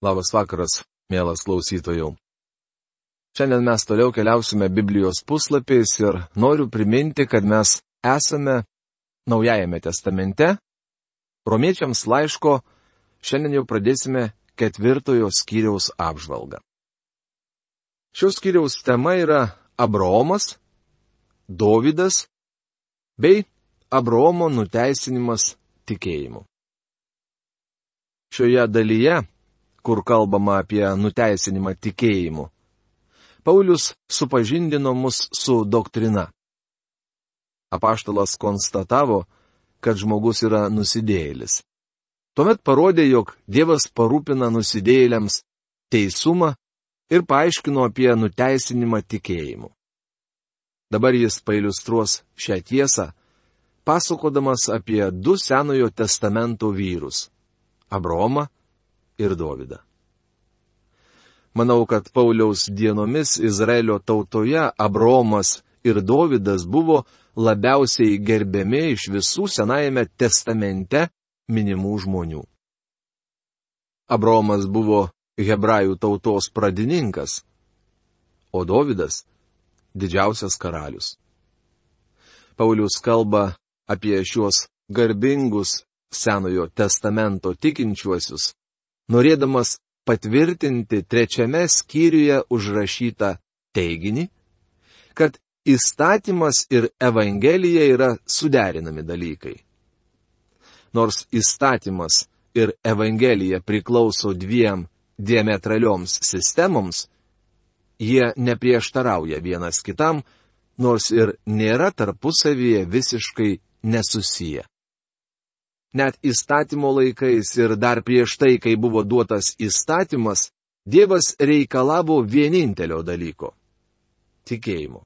Labas vakaras, mielas klausytojų. Šiandien mes toliau keliausime Biblijos puslapiais ir noriu priminti, kad mes esame Naujajame testamente. Romiečiams laiško šiandien jau pradėsime 4 skyriaus apžvalgą. Šios skyriaus tema yra Abraomas, Dovydas bei Abraomo nuteisinimas tikėjimu. Šioje dalyje, kur kalbama apie nuteisinimą tikėjimu, Paulius supažindino mus su doktrina. Apaštalas konstatavo, kad žmogus yra nusidėjėlis. Tuomet parodė, jog Dievas parūpina nusidėjėliams teisumą ir paaiškino apie nuteisinimą tikėjimu. Dabar jis pailiustruos šią tiesą, pasakodamas apie 2 Senojo testamento vyrus - Abraomą ir Dovydą. Manau, kad Pauliaus dienomis Izraelio tautoje Abraomas ir Dovydas buvo labiausiai gerbiami iš visų Senajame testamente minimų žmonių. Abraomas buvo hebrajų tautos pradininkas, o Dovydas - didžiausias karalius. Paulius kalba apie šiuos garbingus Senojo testamento tikinčiuosius, norėdamas patvirtinti 3 skyriuje užrašytą teiginį, kad įstatymas ir Evangelija yra suderinami dalykai. Nors įstatymas ir Evangelija priklauso 2 diametralioms sistemoms, jie neprieštarauja vienas kitam, nors ir nėra tarpusavyje visiškai nesusiję. Net įstatymo laikais ir dar prieš tai, kai buvo duotas įstatymas, Dievas reikalavo vienintelio dalyko - tikėjimo.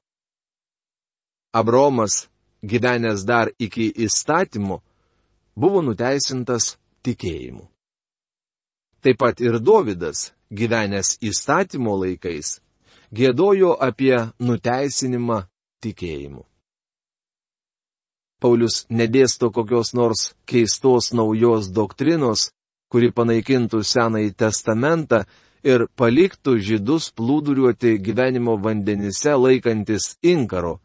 Abraomas, gyvenęs dar iki įstatymo, buvo nuteisintas tikėjimu. Taip pat ir Dovydas, gyvenęs įstatymo laikais, giedojo apie nuteisinimą tikėjimu. Paulius nedėsto kokios nors keistos naujos doktrinos, kuri panaikintų Senąjį testamentą ir paliktų žydus plūduriuoti gyvenimo vandenyse laikantis inkaro,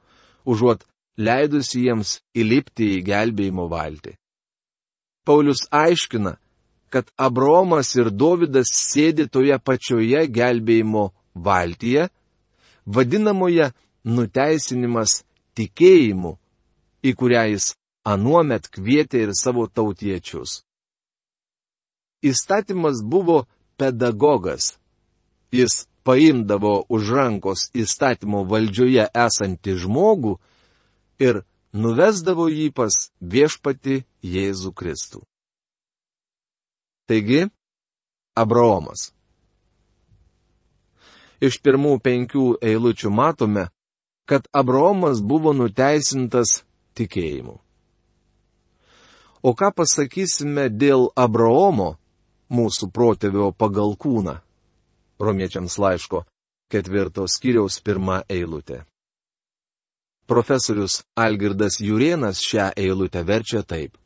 užuot leidusi jiems įlipti į gelbėjimo valtį. Paulius aiškina, kad Abraomas ir Dovydas sėdi toje pačioje gelbėjimo valtyje, vadinamoje nuteisinimas tikėjimu, į kurią jis anuomet kvietė ir savo tautiečius. Įstatymas buvo pedagogas. Jis paimdavo už rankos įstatymo valdžioje esantį žmogų ir nuvesdavo jį pas viešpatį Jėzų Kristų. Taigi, Abraomas. Iš pirmų 5 eilučių matome, kad Abraomas buvo nuteisintas tikėjimu. O ką pasakysime dėl Abraomo, mūsų protėvio pagal kūną? Romiečiams laiško 4 skyriaus 1 eilutė. Profesorius Algirdas Jurėnas šią eilutę verčia taip.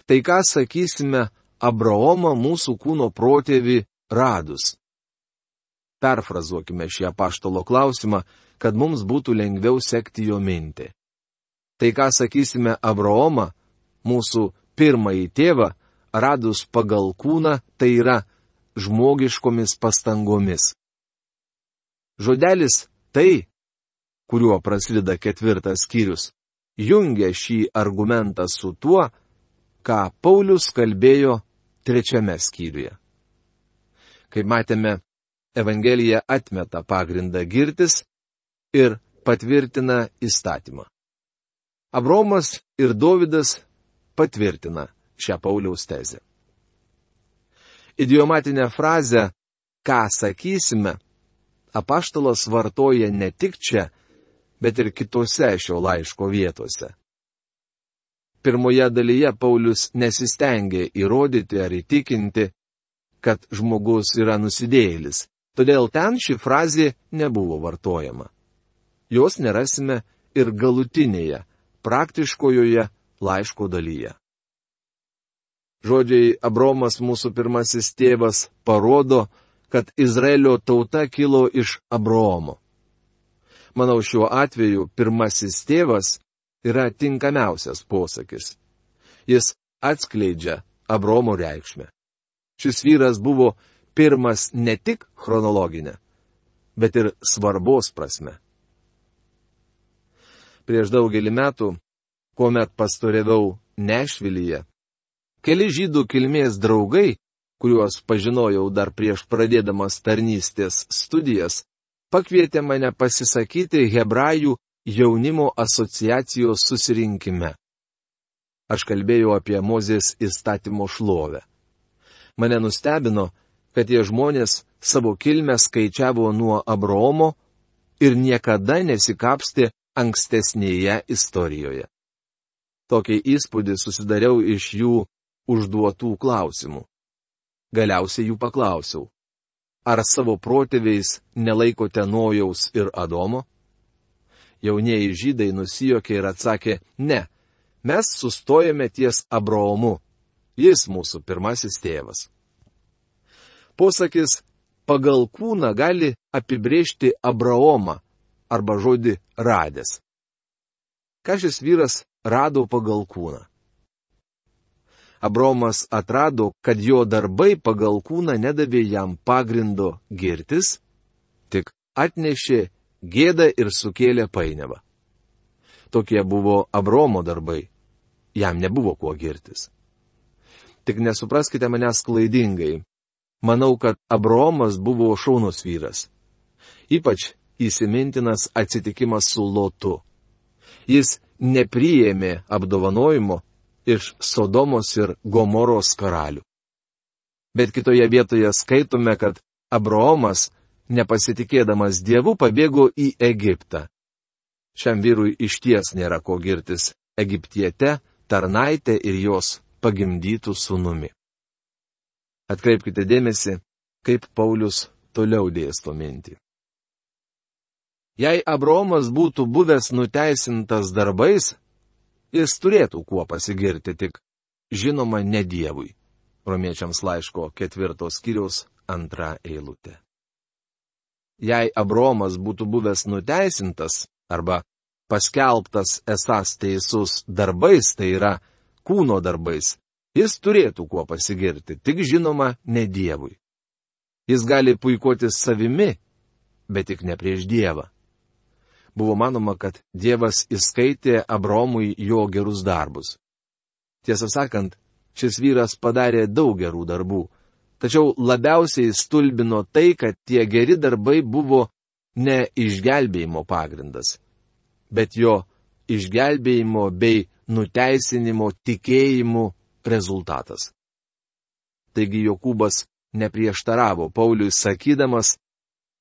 Tai ką sakysime Abraomą mūsų kūno protėvį radus? Perfrazuokime šį apaštalo klausimą, kad mums būtų lengviau sekti jo mintį. Tai ką sakysime Abraomą, mūsų pirmąjį tėvą, radus pagal kūną, tai yra žmogiškomis pastangomis. Žodelis tai, kuriuo prasideda 4 skyrius, jungia šį argumentą su tuo, ką Paulius kalbėjo 3 skyriuje. Kaip matėme, Evangelija atmeta pagrindą girtis ir patvirtina įstatymą. Abraomas ir Dovydas patvirtina šią Pauliaus tezę. Idiomatinę frazę "ką sakysime" apaštalas vartoja ne tik čia, bet ir kitose šio laiško vietose. Pirmoje dalyje Paulius nesistengė įrodyti ar įtikinti, kad žmogus yra nusidėjėlis, todėl ten ši frazė nebuvo vartojama. Jos nerasime ir galutinėje, praktiškojoje laiško dalyje. Žodžiai Abromas mūsų pirmasis tėvas parodo, kad Izraelio tauta kilo iš Abraomo. Manau, šiuo atveju pirmasis tėvas yra tinkamiausias posakis. Jis atskleidžia Abraomo reikšmę. Šis vyras buvo pirmas ne tik chronologinė, bet ir svarbos prasme. Prieš daugelį metų, kuomet pastoriavau Nešvilyje, keli žydų kilmės draugai, kuriuos pažinojau dar prieš pradėdamas tarnystės studijas, pakvietė mane pasisakyti Hebrajų jaunimo asociacijos susirinkime. Aš kalbėjau apie Mozės įstatymo šlovę. Mane nustebino, kad tie žmonės savo kilmę skaičiavo nuo Abraomo ir niekada nesikapstė ankstesnėje istorijoje. Tokį įspūdį susidariau iš jų užduotų klausimų. Galiausiai jų paklausiau, ar savo protėviais nelaikote Nojaus ir Adomo? Jaunieji žydai nusijuokė ir atsakė, ne, mes sustojame ties Abraomu, jis mūsų pirmasis tėvas. Posakis pagal kūną gali apibrėžti Abraomą arba žodį radęs. Ką šis vyras rado pagal kūną? Abraomas atrado, kad jo darbai pagal kūną nedavė jam pagrindo girtis, tik atnešė gėdą ir sukėlė painiavą. Tokie buvo Abraomo darbai. Jam nebuvo kuo girtis. Tik nesupraskite manęs klaidingai. Manau, kad Abraomas buvo šaunus vyras. Ypač įsimintinas atsitikimas su Lotu. Jis nepriėmė apdovanojimo iš Sodomos ir Gomoros karalių. Bet kitoje vietoje skaitome, kad Abraomas, nepasitikėdamas Dievu, pabėgo į Egiptą. Šiam vyrui išties nėra ko girtis Egiptiete, tarnaitė ir jos pagimdytų sūnumi. Atkreipkite dėmesį, kaip Paulius toliau dėsto mintį. Jei Abraomas būtų buvęs nuteisintas darbais, jis turėtų kuo pasigirti, tik žinoma ne Dievui. Romiečiams laiško 4 skyriaus 2 eilutė. Jei Abraomas būtų buvęs nuteisintas arba paskelbtas esąs teisus darbais, tai yra kūno darbais, jis turėtų kuo pasigirti, tik žinoma ne Dievui. Jis gali puikuotis savimi, bet tik ne prieš Dievą. Buvo manoma, kad Dievas įskaitė Abraomui jo gerus darbus. Tiesą sakant, šis vyras padarė daug gerų darbų, tačiau labiausiai stulbino tai, kad tie geri darbai buvo ne išgelbėjimo pagrindas, bet jo išgelbėjimo bei nuteisinimo tikėjimu rezultatas. Taigi Jokūbas neprieštaravo Pauliui sakydamas,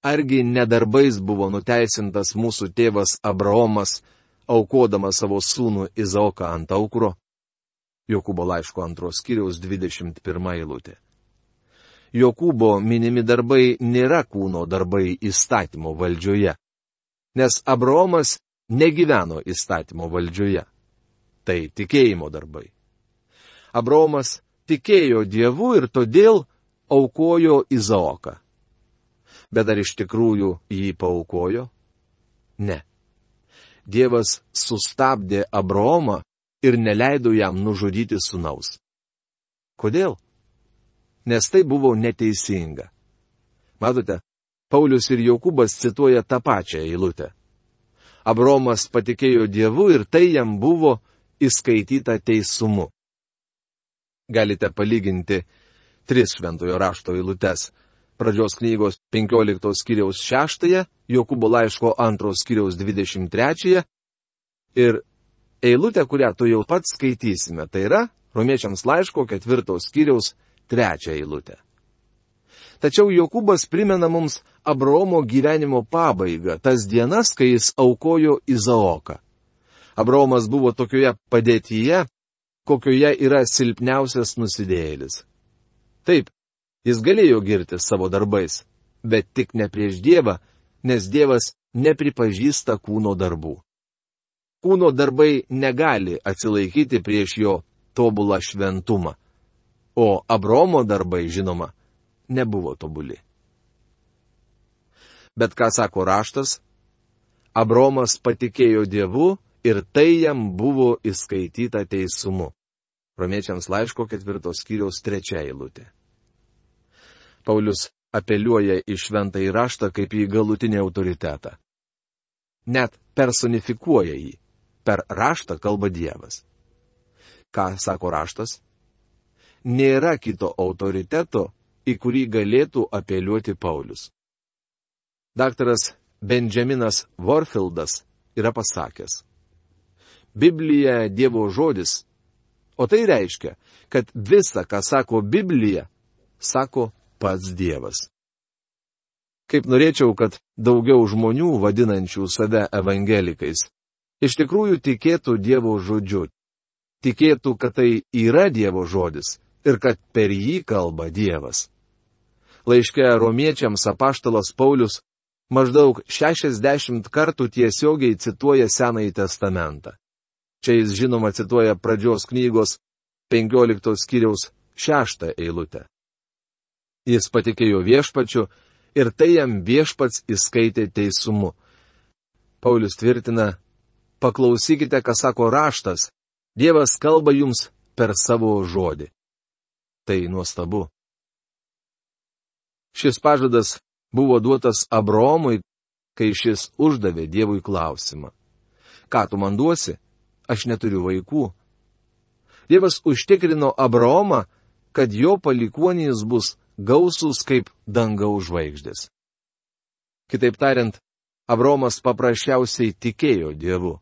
argi nedarbais buvo nuteisintas mūsų tėvas Abraomas, aukodamas savo sūnų Izaoką ant aukuro? Jokūbo laiško 2 skyriaus 21 eilutė. Jokūbo minimi darbai nėra kūno darbai įstatymo valdžioje, nes Abraomas negyveno įstatymo valdžioje. Tai tikėjimo darbai. Abraomas tikėjo Dievu ir todėl aukojo Izaoką. Bet ar iš tikrųjų jį paaukojo? Ne. Dievas sustabdė Abraomą ir neleido jam nužudyti sūnaus. Kodėl? Nes tai buvo neteisinga. Matote, Paulius ir Jokūbas cituoja tą pačią eilutę. Abraomas patikėjo Dievu ir tai jam buvo įskaityta teisumu. Galite palyginti 3 šventojo rašto eilutes. Pradžios knygos 15 skyriaus 6, Jokūbo laiško 2 skyriaus 23 ir eilutę, kurią tu jau pats skaitysime, tai yra Romiečiams laiško 4 skyriaus 3 eilutę. Tačiau Jokūbas primena mums Abraomo gyvenimo pabaigą, tas dienas, kai jis aukojo Izaoką. Abraomas buvo tokioje padėtyje, kokioje yra silpniausias nusidėjėlis. Taip, jis galėjo girtis savo darbais, bet tik ne prieš Dievą, nes Dievas nepripažįsta kūno darbų. Kūno darbai negali atsilaikyti prieš jo tobulą šventumą. o Abraomo darbai, žinoma, nebuvo tobuli. Bet ką sako raštas? Abraomas patikėjo Dievu ir tai jam buvo įskaityta teisumu. Romiečiams laiško 4 skyriaus 3 eilutė. Paulius apeliuoja į šventąjį raštą kaip į galutinį autoritetą. Net personifikuoja jį. Per raštą kalba Dievas. Ką sako raštas? Nėra kito autoriteto, į kurį galėtų apeliuoti Paulius. Daktaras Benjaminas Warfieldas yra pasakęs: Biblija Dievo žodis, o tai reiškia, kad visa, ką sako Biblija, sako pats Dievas. Kaip norėčiau, kad daugiau žmonių, vadinančių save evangelikais, iš tikrųjų tikėtų Dievo žodžiu, tikėtų, kad tai yra Dievo žodis ir kad per jį kalba Dievas. Laiške romiečiams apaštalas Paulius maždaug 60 kartų tiesiogiai cituoja Senąjį testamentą. Čia jis žinoma cituoja pradžios knygos 15 skyriaus 6 eilutę. Jis patikėjo viešpačiu ir tai jam viešpats įskaitė teisumu. Paulius tvirtina: paklausykite, ką sako raštas, Dievas kalba jums per savo žodį. Tai nuostabu. Šis pažadas buvo duotas Abraomui, kai šis uždavė Dievui klausimą: ką tu man duosi? Aš neturiu vaikų. Dievas užtikrino Abraomą, kad jo palikuonys bus gausūs kaip dangaus žvaigždės. Kitaip tariant, Abraomas paprasčiausiai tikėjo Dievu.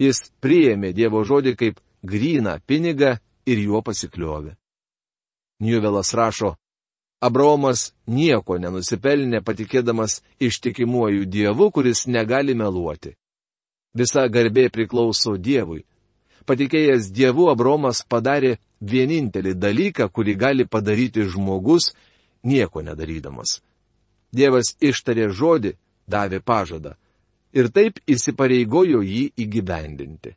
Jis priėmė Dievo žodį kaip gryną pinigą ir juo pasikliovė. Njuvelas rašo: Abraomas nieko nenusipelnė patikėdamas ištikimuoju Dievu, kuris negali meluoti. Visa garbė priklauso Dievui. Patikėjęs Dievu, Abraomas padarė vienintelį dalyką, kurį gali padaryti žmogus, nieko nedarydamas. Dievas ištarė žodį, davė pažadą ir taip įsipareigojo jį įgyvendinti.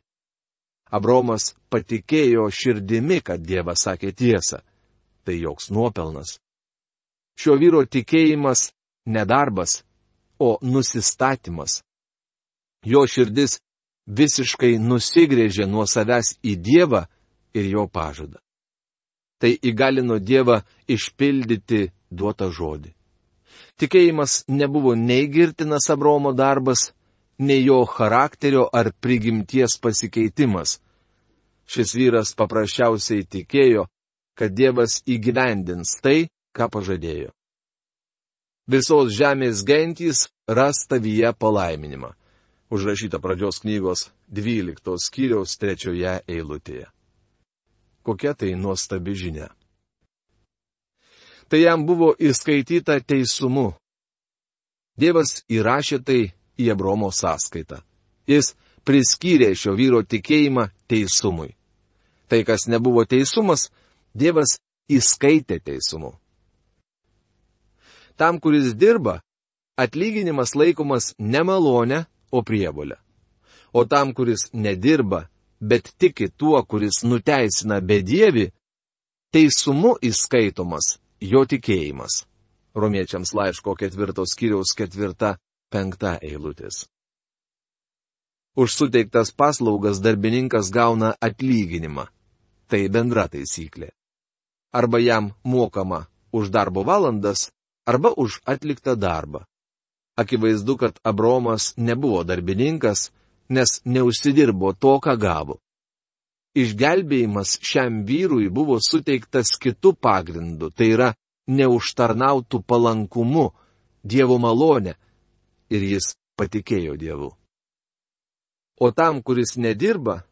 Abraomas patikėjo širdimi, kad Dievas sakė tiesą. Tai joks nuopelnas. Šio vyro tikėjimas ne darbas, o nusistatymas. Jo širdis visiškai nusigrėžė nuo savęs į Dievą ir jo pažadą. Tai įgalino Dievą išpildyti duotą žodį. Tikėjimas nebuvo nei girtinas Abraomo darbas, nei jo charakterio ar prigimties pasikeitimas. Šis vyras paprasčiausiai tikėjo, kad Dievas įgyvendins tai, ką pažadėjo. Visos žemės gentys ras tavyje palaiminimą. Užrašyta pradžios knygos 12 skyriaus 3 eilutėje. Kokia tai nuostabi žinia. Tai jam buvo įskaityta teisumu. Dievas įrašė tai į Abraomo sąskaitą. Jis priskyrė šio vyro tikėjimą teisumui. Tai, kas nebuvo teisumas, Dievas įskaitė teisumu. Tam, kuris dirba, atlyginimas laikomas ne malonė, o prievolė. O tam, kuris nedirba, bet tiki tuo, kuris nuteisina bedievį, teisumu įskaitomas jo tikėjimas. Romiečiams laiško 4 skyriaus 4-5 eilutės. Už suteiktas paslaugas darbininkas gauna atlyginimą. Tai bendra taisyklė. Arba jam mokama už darbo valandas, arba už atliktą darbą. Akivaizdu, kad Abraomas nebuvo darbininkas, nes neužsidirbo to, ką gavo. Išgelbėjimas šiam vyrui buvo suteiktas kitu pagrindu, tai yra neužtarnautų palankumu, Dievo malonė, ir jis patikėjo Dievu. O tam, kuris nedirba,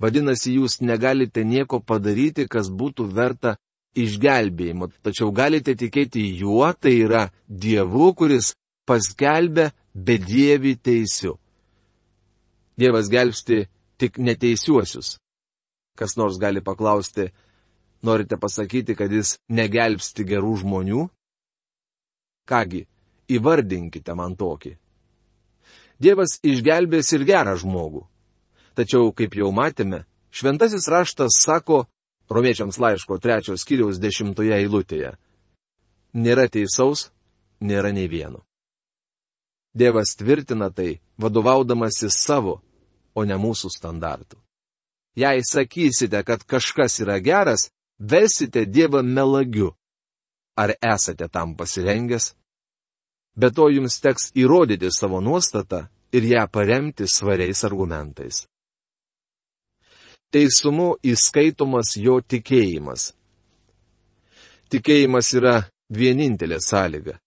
vadinasi, jūs negalite nieko padaryti, kas būtų verta išgelbėjimo, tačiau galite tikėti juo, tai yra Dievu, kuris paskelbia bedievį teisiu. Dievas gelbsti tik neteisiuosius. Kas nors gali paklausti, norite pasakyti, kad jis negelbsti gerų žmonių? Kągi, įvardinkite man tokį. Dievas išgelbės ir gerą žmogų. Tačiau, kaip jau matėme, šventasis raštas sako, Romiečiams laiško 3 skyriaus 10 eilutėje. Nėra teisaus, nėra nei vieno. Dievas tvirtina tai, vadovaudamasis savo, o ne mūsų standartų. Jei sakysite, kad kažkas yra geras, versite Dievą melagiu. Ar esate tam pasirengęs? Be to jums teks įrodyti savo nuostatą ir ją paremti svariais argumentais. Teisumu įskaitomas jo tikėjimas. Tikėjimas yra vienintelė sąlyga.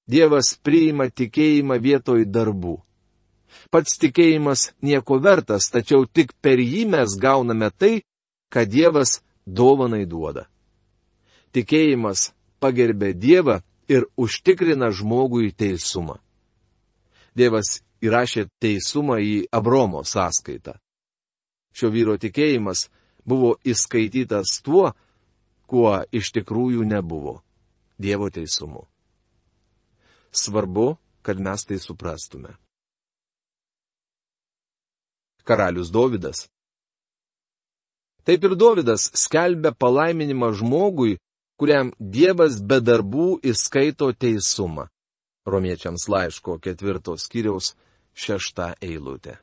Dievas priima tikėjimą vietoj darbų. Pats tikėjimas nieko vertas, tačiau tik per jį mes gauname tai, ką Dievas dovanai duoda. Tikėjimas pagerbė Dievą ir užtikrina žmogui teisumą. Dievas įrašė teisumą į Abromo sąskaitą. Šio vyro tikėjimas buvo įskaitytas tuo, kuo iš tikrųjų nebuvo – Dievo teisumu. Svarbu, kad mes tai suprastume. Karalius Dovydas. Taip ir Dovydas skelbia palaiminimą žmogui, kuriam Dievas be darbų įskaito teisumą. Romiečiams laiško 4 skyriaus 6 eilutė.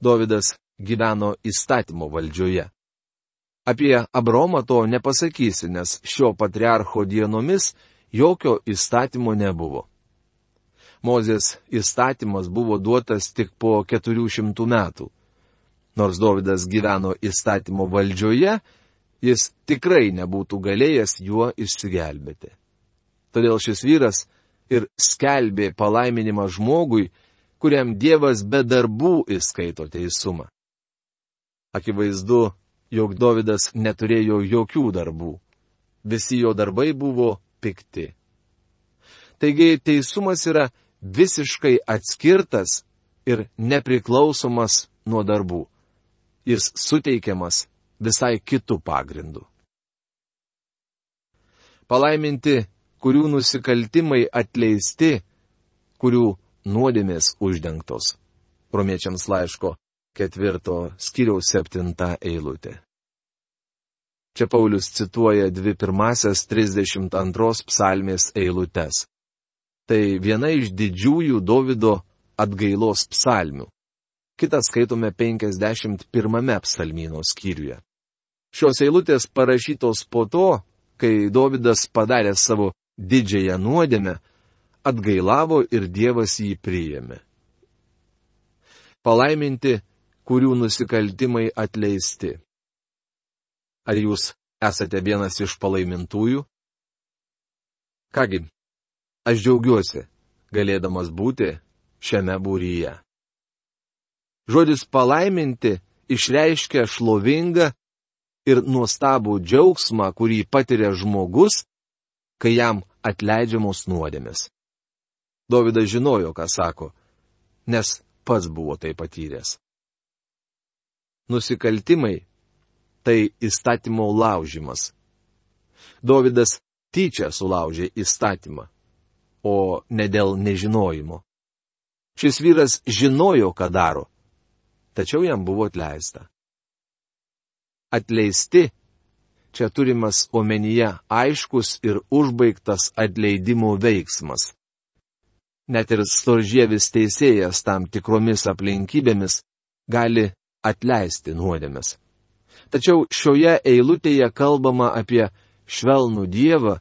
Dovydas gyveno įstatymo valdžioje. Apie Abromą to nepasakysi, nes šio patriarcho dienomis jokio įstatymo nebuvo. Mozės įstatymas buvo duotas tik po 400 metų. Nors Dovydas gyveno įstatymo valdžioje, jis tikrai nebūtų galėjęs juo išsigelbėti. Todėl šis vyras ir skelbė palaiminimą žmogui, kuriam Dievas be darbų įskaito teisumą. Akivaizdu, jog Dovydas neturėjo jokių darbų. Visi jo darbai buvo pikti. Taigi teisumas yra visiškai atskirtas ir nepriklausomas nuo darbų. Jis suteikiamas visai kitų pagrindų. Palaiminti, kurių nusikaltimai atleisti, kurių nuodėmės uždengtos. Romiečiams laiško 4 skyriaus 7 eilutė. Čia Paulius cituoja 2 pirmasias 32 psalmės eilutes. Tai viena iš didžiųjų Dovydo atgailos psalmių. Kitą skaitome 51 psalmyno skyriuje. Šios eilutės parašytos po to, kai Dovydas padarė savo didžiąją nuodėmę, atgailavo ir Dievas jį priėmė. Palaiminti, kurių nusikaltimai atleisti. Ar jūs esate vienas iš palaimintųjų? Kągi, aš džiaugiuosi, galėdamas būti šiame būryje. Žodis palaiminti išreiškia šlovingą ir nuostabų džiaugsmą, kurį patiria žmogus, kai jam atleidžiamos nuodėmės. Dovydas žinojo, ką sako, nes pats buvo tai patyręs. Nusikaltimai – tai įstatymo laužimas. Dovydas tyčia sulaužė įstatymą, o ne dėl nežinojimo. Šis vyras žinojo, ką daro, tačiau jam buvo atleista. Atleisti – čia turimas omenyje aiškus ir užbaigtas atleidimo veiksmas. Net ir storžievis teisėjas tam tikromis aplinkybėmis gali atleisti nuodėmes. Tačiau šioje eilutėje kalbama apie švelnų Dievą,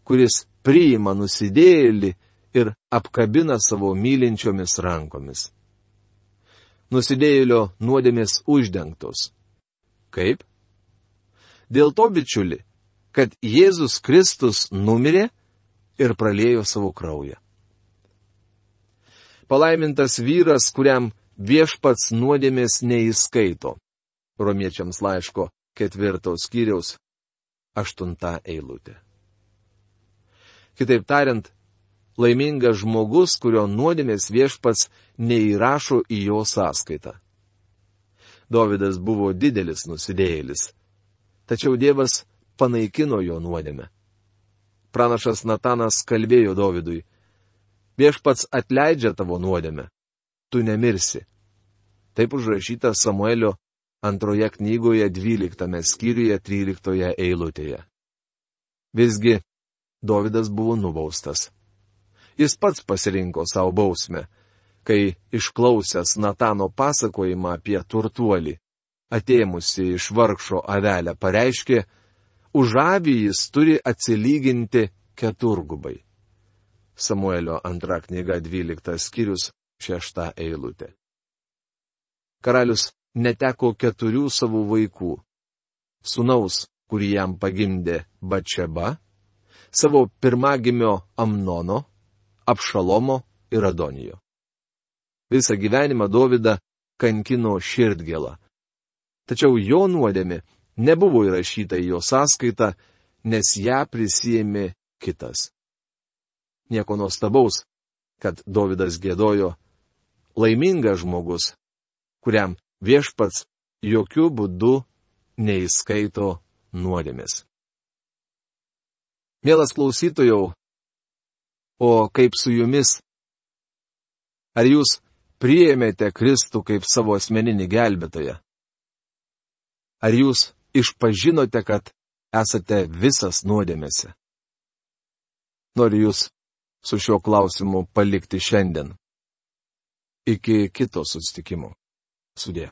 kuris priima nusidėjėlį ir apkabina savo mylinčiomis rankomis. Nusidėjėlio nuodėmės uždengtos. Kaip? Dėl to, bičiuli, kad Jėzus Kristus numirė ir praliejo savo kraują. Palaimintas vyras, kuriam viešpats nuodėmės neįskaito. Romiečiams laiško 4 skyriaus 8 eilutė. Kitaip tariant, laimingas žmogus, kurio nuodėmės viešpats neįrašo į jo sąskaitą. Dovydas buvo didelis nusidėjėlis, tačiau Dievas panaikino jo nuodėmę. Pranašas Natanas kalbėjo Dovydui: viešpats atleidžia tavo nuodėmę, tu nemirsi. Taip užrašyta Samuelio 2 knygoje 12 skyriuje 13 eilutėje. Visgi, Dovydas buvo nubaustas. Jis pats pasirinko savo bausmę, kai išklausęs Natano pasakojimą apie turtuolį, atėmusi iš vargšo avelę, pareiškė, už avį jis turi atsilyginti 4. Samuelio 2 knyga 12 skyrius 6 eilutė. Karalius neteko 4 savo vaikų. Sūnaus, kurį jam pagimdė Batšeba, savo pirmagimio Amnono, Abšalomo ir Adonijo. Visą gyvenimą Dovydą kankino širdgėla. Tačiau jo nuodėmė nebuvo įrašyta į jo sąskaitą, nes ją prisijėmė kitas. Nieko nuostabaus, kad Dovydas giedojo, laimingas žmogus, kuriam viešpats jokių būdų neįskaito nuodėmės. Mielas klausytojau, o kaip su jumis? Ar jūs priėmėte Kristų kaip savo asmeninį gelbėtoją? Ar jūs išpažinote, kad esate visas nuodėmėse? Noriu jūs su šiuo klausimu palikti šiandien. Iki kito susitikimo. Sudie.